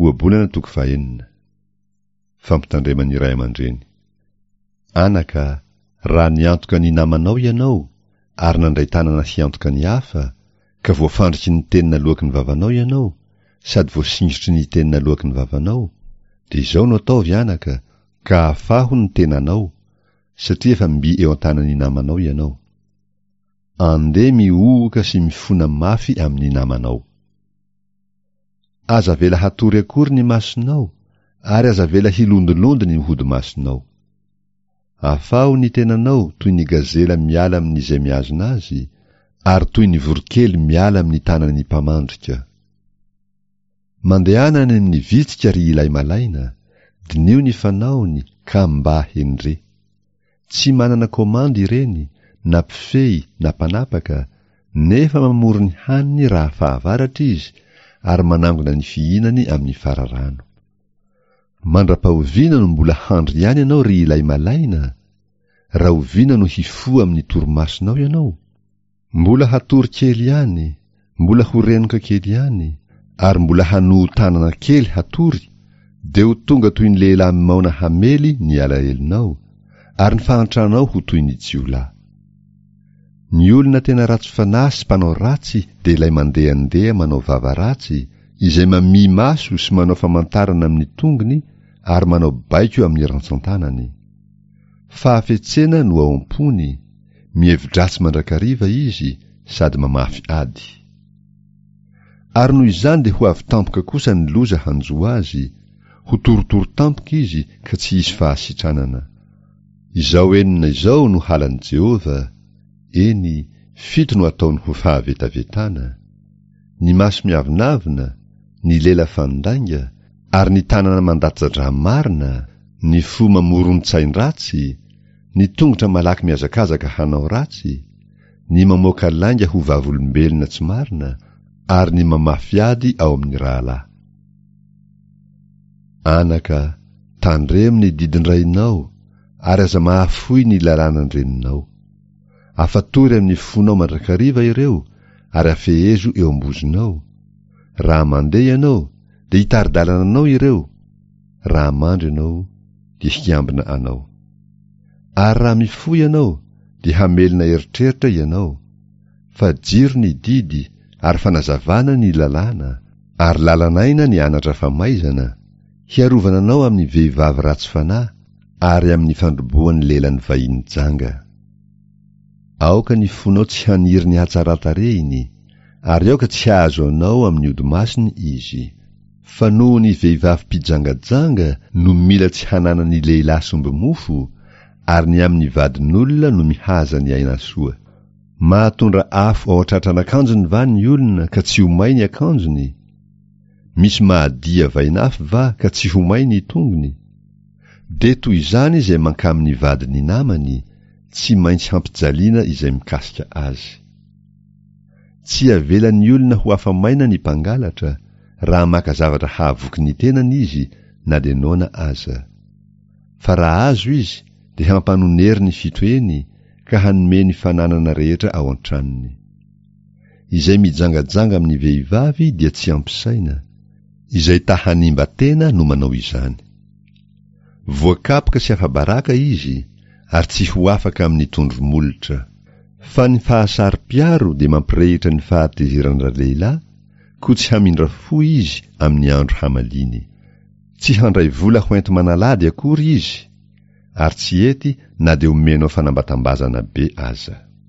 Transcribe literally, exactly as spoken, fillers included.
Ohabolana toko fahenina. Fampitandreman'ny ray aman-dreny. Anaka, raha niantoka ny namanao ianao, ary nandray tanana hiantoka ny hafa, ka voafandriky ny teny naloaky ny vavanao ianao, sady voasingotry ny teny naloaky ny vavanao, dia izao no ataovy anaka, ka afaho ny tenanao, satria efa mby eo an-tanan'ny namanao ianao. Andeha mihohoka sy mifona mafy amin'ny namanao. Aza avela hatory akory ny masonao, ary aza avela hilondolondo ny hodi-masonao. Afaho ny tenanao toy ny gazela miala amin'izay mihazona azy, ary toy ny voronkely miala amin'ny tanan'ny mpamandrika. Mandehana any amin'ny vitsika ry ilay malaina, diniho ny fanaony ka mba hendre. Tsy manana komandy ireny, na mpifehy na mpanapaka, nefa mamory ny haniny raha fahavaratra izy ary manangona ny fihinany amin'ny fararano. Mandra-pahoviana no mbola handry ihany ianao ry ilay malaina? Rahoviana no hifoha amin'ny torimasonao ianao? Mbola hatory kely ihany, mbola ho renoka kely ihany, ary mbola hanoho tanana kely hatory, dia ho tonga toy ny lehilahy maona hamely ny alahelonao, ary ny fahantranao ho toy ny jiolahy. Ny olona tena ratsy fanahy sy mpanao ratsy dia ilay mandehandeha manao vava ratsy, izay mamihy maso sy manao famantarana amin'ny tongony ary manao baiko amin'ny rantsan-tanany. Fahafetsena no ao am-pony, mihevi-dratsy mandrakariva izy sady mamafy ady. Ary noho izany dia ho avy tampoka kosa ny loza hanjo azy, ho torotoro tampoka izy ka tsy hisy fahasitranana. Izao enina izao no halan'i Jehovah, eny, fito no ataony ho fahavetavetana: ny maso miavonavona, ny lela fandainga, ary ny tanana mandatsa-drà marina, ny fo mamoron-tsain-dratsy, ny tongotra malaky mihazakazaka hanao ratsy, ny mamoaka lainga ho vavolombelona tsy marina, ary ny mamafy ady ao amin'ny rahalahy. Anaka, tandremo ny didin-drainao, ary aza mahafoy ny lalànan-dreninao. Afatory amin'ny fonao mandrakariva ireo, ary afehezo eo am-bozonao. Raha mandeha ianao, dia hitari-dalana anao ireo; raha mandry ianao, dia hiambina anao. Ary raha mifoha ianao, dia hamelona eritreritra ianao, fa jiro ny didy ary fanazavana ny lalàna, ary lalan'aina ny anatra famaizana, hiarovana anao amin'ny vehivavy ratsy fanahy ary amin'ny fandrobohan'ny lelan'ny vahiny janga. Aoka ny fonao tsy haniry ny hatsaran-tarehiny, ary aoka tsy hahazo anao amin'ny odi-masony izy. Fa noho ny vehivavy mpijangajanga no mila tsy hananan'ny lehilahy sombi-mofo, ary ny amin'ny vadin'olona no mihaza ny aina soa. Mahatondra afo ao an-tratran'akanjony va ny olona ka tsy ho may ny akanjony? Misy mahadia vainafo va ka tsy ho may ny tongony? Dia toy izany izay mankamin'ny vadin'ny namany, tsy maintsy hampijaliana izay mikasika azy. Tsy avelan'ny olona ho afa-maina ny mpangalatra, raha maka zavatra hahavoky ny tenany izy na dia noana aza. Fa raha azo izy dia hampanonery ny fito heny ka hanome ny fananana rehetra ao an-tranony. Izay mijangajanga amin'ny vehivavy dia tsy ampy saina, izay ta hanimba tena no manao izany. Voakapoka sy afa-baraka izy ary tsy ho afaka amin'ny tondro molotra. Fa ny fahasaro-piaro dia mampirehitra ny fahatezeran-dralehilahy, koa tsy hamindra fo izy amin'ny andro hamaliany. Tsy handray vola hoenti-manalady akory izy, ary tsy hety na dia omenao fanambatambazana be aza.